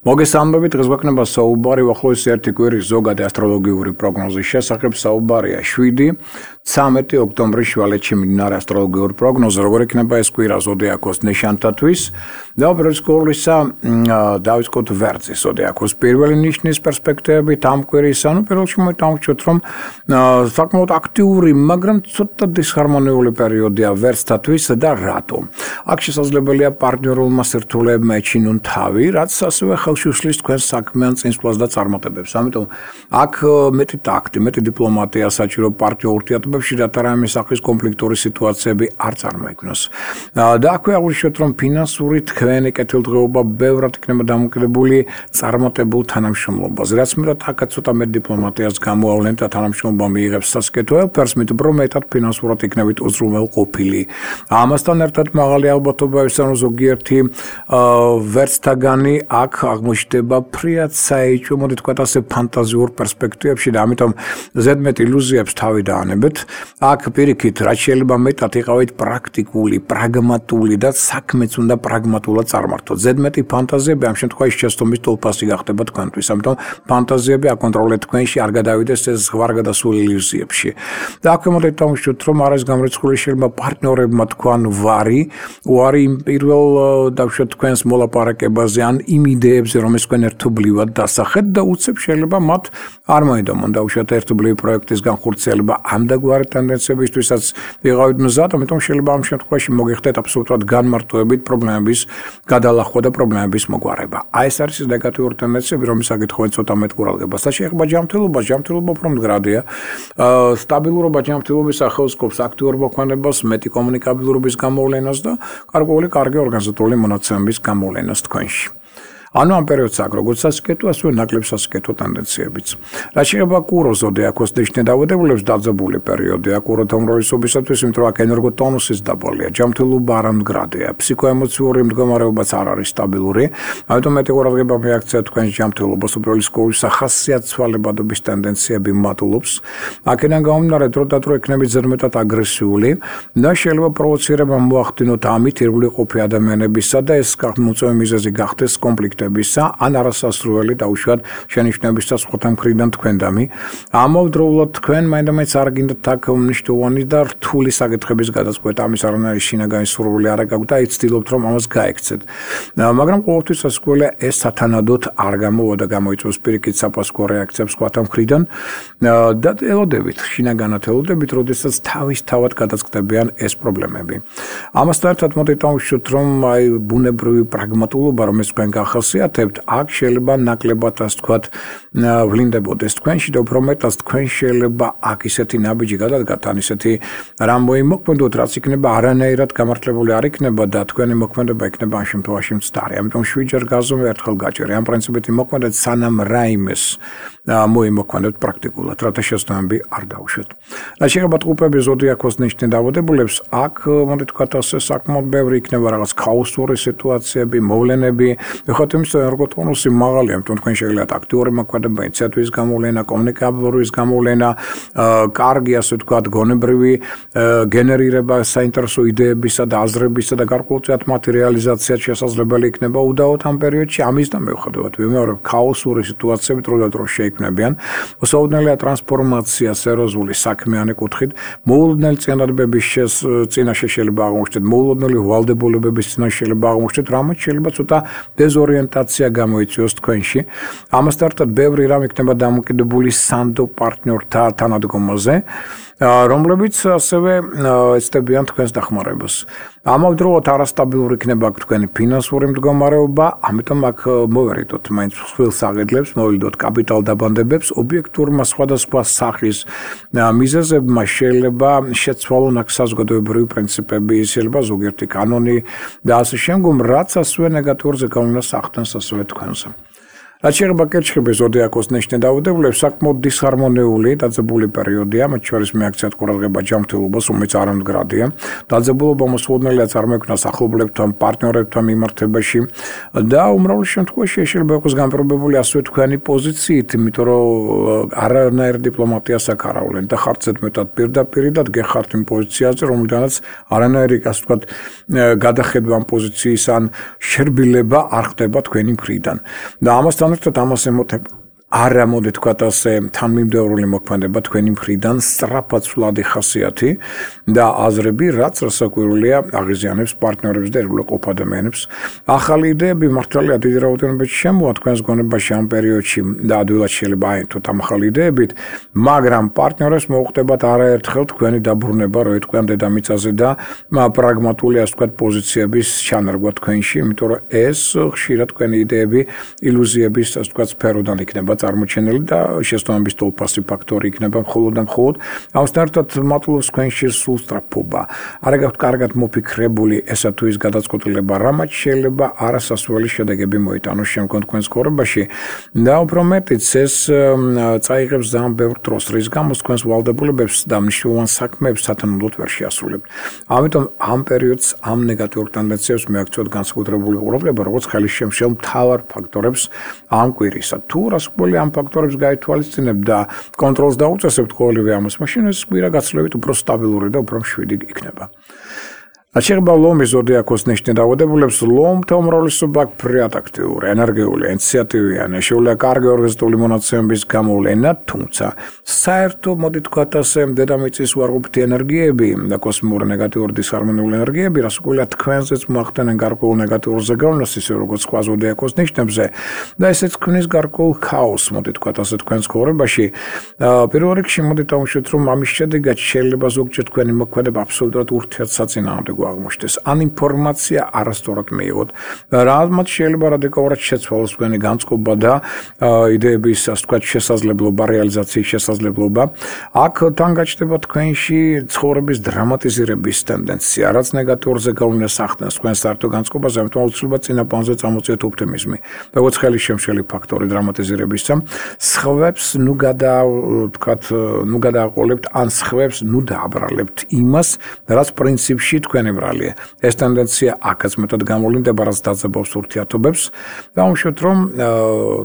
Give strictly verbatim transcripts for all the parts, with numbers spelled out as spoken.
მოგესალმებით, დღეს გვექნება საუბარი უახლოესი ერთი კვირის ზოგადი ასტროლოგიური პროგნოზის შესახებ. საუბარია შვიდი ცამეტი ოქტომბრის შუალედში მიმდინარე ასტროლოგიური პროგნოზი, როგორ იქნება ეს კვირა ზოდიაქოს ნიშანთათვის. და უბრალოდ გულისა დავიწყოთ ვერძის ზოდიაქოს პირველი ნიშნის პერსპექტივებით ამ კვირის, ანუ პირველში მოვიტანხმოთ, რომ საკმაოდ აქტიური, მაგრამ ცოტა დისჰარმონიული პერიოდია ვერძთათვის და რატომ? აქ შესაძლებელია პარტნიორულმა სირთულეებმა ეჩინონ თავი, რაც ასევე შუშლის თქვენ საქმიან წინსვლას და წარმატებებს. ამიტომ აქ მეტი ტაქტი, მეტი დიპლომატია საჭირო პარტნიორ ურთიერთობებში, რათა რაიმე სახის კონფლიქტური სიტუაციები არ წარმოიქმნოს. და აქვე აღვნიშნოთ, რომ ფინანსური თქვენი კეთილდღეობა ბევრად იქნება დამოკიდებული წარმატებულ თანამშრომლობაზე. რაც მეტად აქაც ცოტა მეტ დიპლომატიას გამოავლენ და თანამშრომლობა მიიღებს სასკეთო ელფერს, მით უფრო მეტად ფინანსურად იქნებით უზრუნველყოფილი. ამასთან ერთად მაღალი ალბათობა ის, რომ ზოგიერთი ვერცთაგანი აქ აღმოჩნდება ფრიად საეჭვო, მოდი თქვათ ასე, ფანტაზიურ პერსპექტივებში და ამიტომ ზედმეტ ილუზიებს თავი დაანებეთ. აქ პირიქით, რაც შეიძლება მეტად იყავით პრაქტიკული, პრაგმატული და საქმეც უნდა პრაგმატულად წარმართოთ. ზედმეტი ფანტაზიები ამ შემთხვევაში შეცდომის ტოლფასი გახდება თქვენთვის. ამიტომ ფანტაზიები აკონტროლეთ თქვენში, არ გადავიდეს ეს ზღვარგადასულ ილუზიებში. და აქვე მოდით დავუშვათ, რომ არის გამორიცხული შეიძლება პარტნიორებმა თქვან ვარი, ვარი იმ პირველ დავუშვათ თქვენს მოლაპარაკებაზე ან იმ იდეებზე, რომ ეს თქვენ ერთობლივად დასახეთ და უცებ შეიძლება მათ არ მოედომონ დაუშვათ ერთობლივი პროექტის განხორციელება ამ და გვარი ტენდენციებისთვისაც ვიყავით მზად, ამიტომ შეიძლება ამ შემთხვევაში მოგიხდეთ აბსოლუტურად განმარტოებით პრობლემების გადალახვა და პრობლემების მოგვარება. აი ეს არის ნეგატიური ტენდენციები, რომლის საკითხი ცოტა მეტ ყურადღებას და შეეხება ჯანმრთელობას, ჯანმრთელობა უფრო მდგრადია. სტაბილურობა ჯანმრთელობის ახალსკობს აქტიურ მოქმედებას, მეტი კომუნიკაბილურობის გამოვლენას და გარკვეული კარგი ორგანიზატორული მონაცემების გამოვლენას თქვენში. ანუ ამ პერიოდს აქ როგორც სასკეთო, ასევე ნაკლებ სასკეთო ტენდენციებიც. რაც შეეხება კურო ზოდიაქოს ნიშნე დავადებულებს დაძაბული პერიოდია კუროთა უმრავლესობისათვის, იმიტომ რომ აქ ენერგოტონუსის დაბალია, ჯანმრთელობა არამდგრადია, ფსიქოემოციური მდგომარეობაც არ არის სტაბილური, ამიტომ მეტი ყურადღება მიაქცია თქვენს ჯანმრთელობას, უბრალოდ სკოლის სახასიათვალებადობის ტენდენციები მატულობს. აქედან გამომდინარე, დრო და დრო იქნებით ზედმეტად აგრესიული და შეიძლება პროვოცირება მოახდინოთ ამით ირგვლივყოფი ადამიანებისა და ეს მოწვევის მიზეზი გახდეს კონფლიქტი ან არასასრული დაუშვათ შენიშვნების და სხვათა მხრიდან თქვენდამი. ამავდროულად თქვენ მაინდამაინც არ გინდათ აქ მნიშვნელოვანი და რთული საკითხების გადაწყვეტა, ამის არანაირი შინაგანი სურვილი არ გაქვთ და იცდილობთ, რომ ამას გაექცეთ. მაგრამ ყოველთვის სასკოლია ეს სათანადოდ არ გამოვა და გამოიწვევს პირიქით საფასკო რეაქციებს სხვათა მხრიდან და ელოდებით, შინაგანად ელოდებით, როდესაც თავისთავად გადაწყდებიან ეს პრობლემები. ამასთან ერთად მოდით დავუშვათ, რომ აი ბუნებრივი პრაგმატულობა, რომელიც თქვენ გახსოვთ, აქ შეიძლება ნაკლებად ასე ვთქვათ ვლინდებოდეს თქვენში და უფრო მეტად თქვენ შეიძლება აქ ისეთი ნაბიჯი გადადგათ, ან ისეთი რამ მოიმოქმედოთ, რაც იქნება არანაირად გამართლებული არ იქნება და თქვენი მოქმედება იქნება ამ შემთხვევაში მცდარი. ამიტომ შვიდჯერ გაზომე ერთხელ გაჭერი. ამ პრინციპით იმოქმედეთ, სანამ რაიმეს მოიმოქმედოთ პრაქტიკულად, რათა შეცდომები არ დაუშვათ. რაც შეეხება ტყუპების ზოდიაქოს ნიშნით დავადებულებს, აქ მოდი თქვათ ასე საკმაოდ ბევრი იქნება რაღაც ქაოსური სიტუაციები, მოვლენები. ეხოთ იმის ენერგოტონუსი მაღალია, ამიტომ თქვენ შეგიძლიათ აქტიური მოქმედება, ინიციატივის გამოვლენა, კომუნიკაბილურის გამოვლენა, კარგი ასე ვთქვათ გონებრივი გენერირება საინტერესო იდეებისა და აზრებისა და გარკვეულწილად მათი რეალიზაცია შესაძლებელი იქნება უდაოდ ამ პერიოდში. ამის და მიუხედავად ვიმეორებ, ქაოსური სიტუაციები დრო და დრო შეიქმნებიან. მოსაუდნელია ტრანსფორმაცია სერიოზული საქმიანი კუთხით, მოულოდნელი წინადადების წინაშე შეიძლება აღმოჩნდეთ, მოულოდნელი ვალდებულებების წინაშე შეიძლება აღმოჩნდეთ, რამაც შეიძლება ცოტა დეზორიენტაცია გამოიწვიოს თქვენში. ამასთან ერთად ბევრი რამ იქნება დამოკიდებული სანდო პარტნიორთა თანადგომაზე, რომლებიც ასევე ეცდებიან თქვენს დახმარებას. ამავდროულად არასტაბილური იქნება თქვენი ფინანსური მდგომარეობა, ამიტომ აქ მოვერიდოთ მაინც ხვილ საღედლებს, მოვიდოთ კაპიტალ დაბანდებებს, ობიექტურმა სხვადასხვა სახის მიზეზებმა შეიძლება შეცვალონ აქ საზოგადოებრივი პრინციპები, შეიძლება ზოგიერთი კანონი და ასე შემდგომ, რაც ასევე ნეგატიურ ზეგავლენას ახდენს ასევე თქვენზე. რაც შეეხება კერჩხიბის ზოდიაქოს ნიშნე დაავადებულებს, საკმაოდ დისჰარმონიული დაძაბული პერიოდია, მათ შორის მიაქციათ ყურადღება ჯანმრთელობას, რომელიც არამდგრადია. დაძაბულობა მოსულნელია წარმოიქმნას ახლობლებთან, პარტნიორებთან მიმართებაში და უმრავლეს შემთხვევაში შეიძლება იყოს განპირობებული ასევე თქვენი პოზიციით, იმიტომ რომ არანაირ დიპლომატიას აქ არ ავლენ და ხართ ზედმეტად პირდაპირიდად გეხართ იმ პოზიციაზე, რომელთანაც არანაირი, ასე ვთქვათ, გადახედვა ამ პოზიციის ან შერბილება არ ხდება თქვენი მხრიდან. და ამასთან ერთად ამას ემოთება არა მოდი თქვათ ასე თანმიმდევრული მოქმედება თქვენი მხრიდან სწრაფად სვლადი ხასიათი და აზრები, რაც რასაკვირველია აღიზიანებს პარტნიორებს და ერთგულყოფ ადამიანებს. ახალი იდეები მართალია დიდი რაოდენობით შემოვა თქვენს გონებაში ამ პერიოდში და ადვილად შეიძლება აერთოთ ამ ახალი იდეებით, მაგრამ პარტნიორებს მოუხდებათ არაერთხელ თქვენი დაბრუნება, რო იტყვიან დედამიწაზე და პრაგმატული, ასე ვთქვათ, პოზიციების ჩანარგვა თქვენში, იმიტომ რომ ეს ხშირად თქვენი იდეები ილუზიების, ასე ვთქვათ, სფეროდან იქნება წარმოჩენილი და შესაბამის თოლფასი ფაქტორი იქნება მხოლოდ და მხოლოდ ამასთან ერთად მატლობს თქვენში სულ სწრაფობა. არ გაქვთ კარგად მოფიქრებული ესა თუ ის გადაწყვეტილება, რამაც შეიძლება არასასურველი შედეგები მოიტანოს შემდგომ თქვენს ცხოვრებაში და უფრო მეტიც ეს წაიღებს ძალიან ბევრ დროს, რის გამოც თქვენს ვალდებულებებს და მნიშვნელოვან საქმეებს სათანადოდ ვერ შეასრულებთ. ამიტომ ამ პერიოდს ამ ნეგატიურ ტენდენციებს მიაქცევთ განსაკუთრებული ყურადღება, როგორც ხელისშემშელ მთავარ ფაქტორებს ამ კვირისა. თუ რასაკვირველია ამ ფაქტორებს გაითვალისწინებთ და კონტროლს დაუწესებთ ყოველივე ამას, მაშინ ეს კვირა გაცილებით უფრო სტაბილური და უფრო მშვიდი იქნება. რაც შეეხება ლომის ზოდიაქოს ნიშნე დაავადებულებს, ლომთა უმრავლესობა ფრიად აქტიური, ენერგიული, ინიციატივიანი, შეუძლია კარგი ორგანიზებული მონაცემების გამოვლენა, თუმცა საერთო მოდი თქვათ ასე დედამიწის უარყოფითი ენერგიები და კოსმიური ნეგატიური დისჰარმონიული ენერგიები, რასაკვირველია თქვენზეც მოახდენენ გარკვეულ ნეგატიურ ზეგავლენას, ისე როგორც სხვა ზოდიაქოს ნიშნებზე და ესეც ქმნის გარკვეულ ქაოსს, მოდი თქვათ ასე თქვენს ცხოვრებაში. პირველ რიგში მოდი დავუშვით, რომ ამის შედეგად შეიძლება ზოგჯერ თქვენი მოქმედება აბსოლუტურად ურთიერთსაწინააღმდეგო აღმოჩნდეს, ან ინფორმაცია არასწორად მიიღოთ, რამაც შეიძლება რადიკალურად შეცვალოს თქვენი განწყობა და იდეების, ასე ვთქვათ, შესაძლებლობა, რეალიზაციის შესაძლებლობა. აქ თან გაჩნდება თქვენში ცხოვრების დრამატიზირების ტენდენცია, რაც ნეგატიურ ზეგავლენას ახდენს თქვენს საერთო განწყობაზე, ამიტომ აუცილებლად წინა პლანზე წამოწიოთ ოპტიმიზმი. როგორც ხელისშემშელი ფაქტორი დრამატიზირებისა, სხვებს ნუ გადა, ვთქვათ, ნუ გადააყოლებთ, ან სხვებს ნუ დააბრალებთ იმას, რაც პრინციპში თქვენი ბრალია. ეს ტენდენცია აქაც მეტად გამოვლინდება, რაც დაძაბავს ურთიერთობებს. დავუშვათ, რომ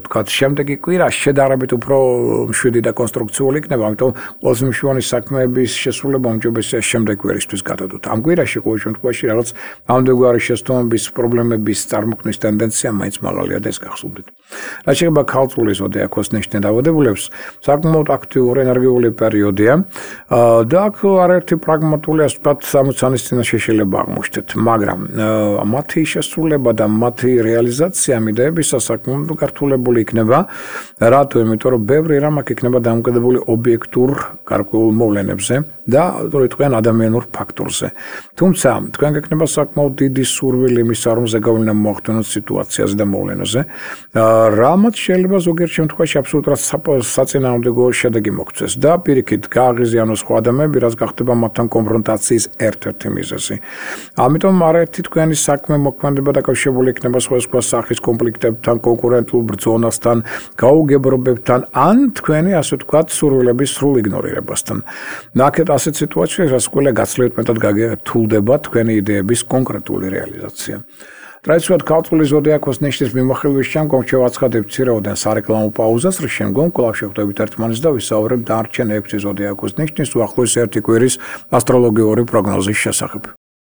ვთქვათ, შემდეგი კვირა შედარებით უფრო მშვიდი და კონსტრუქციული იქნება, ამიტომ ყველაზე მნიშვნელოვანი საქმეების შესრულება უმჯობესია შემდეგ კვირისთვის გადადოთ. ამ კვირაში ყოველ შემთხვევაში რაღაც ამდენგვარი შეცდომების, პრობლემების წარმოქმნის ტენდენცია მაინც მაღალია და ეს გახსოვდეთ. რაც შეეხება ქალწულის ზოდიაქოს ნიშნე დაავადებულებს, საკმაოდ აქტიური ენერგიული პერიოდია და აქ არაერთი პრაგმატული, ასე ვთქვათ, სამოცანის წინაშე შეიძლება აღმოჩნდეთ, მაგრამ მათი შესრულება და მათი რეალიზაცია მიდეებისას საკმაოდ გართულებული იქნება. რატო? იმიტომ რომ ბევრი რამ აქ იქნება დამოკიდებული ობიექტურ გარკვეულ მოვლენებზე და როიტყვიან ადამიანურ ფაქტორზე. თუმცა თქვენ გექნება საკმაოდ დიდი სურვილი იმისა, რომ ზეგავლენა მოახდინოთ სიტუაციაზე და მოვლენაზე, რამაც შეიძლება ზოგიერთ შემთხვევაში აბსოლუტურად საწინააღმდეგო შედეგი მოგვცეს და პირიქით გააღიზიანოს სხვა ადამიანები, რაც გახდება მათთან კონფრონტაციის ერთ-ერთი მიზეზი. ამიტომ არაერთი თქვენი საქმე მოქმედება დაკავშირებული იქნება სხვადასხვა სახის კონფლიქტებთან, კონკურენტულ ბრძოლასთან, გაუგებრობებთან, ან თქვენი, ასე ვთქვათ, სურვილების სრულ იგნორირებასთან. ნახეთ ასეთ სიტუაციებში, რასაკვირველია გაცილებით მეტად გაგერთულდება თქვენი იდეების კონკრეტული რეალიზაცია. ტრადიციულად ქალწულის ზოდიაქოს ნიშნის მიმოხილვის შემდგომ შევაცხადებთ მცირეოდენ სარეკლამო პაუზას, რის შემდგომ კვლავ შევხვდებით ერთმანეთს და ვისაუბრებთ დანარჩენ ექვსი ზოდიაქოს ნიშნის უახლოესი ერთი კვირის ასტროლოგიური პროგნოზის შესახებ.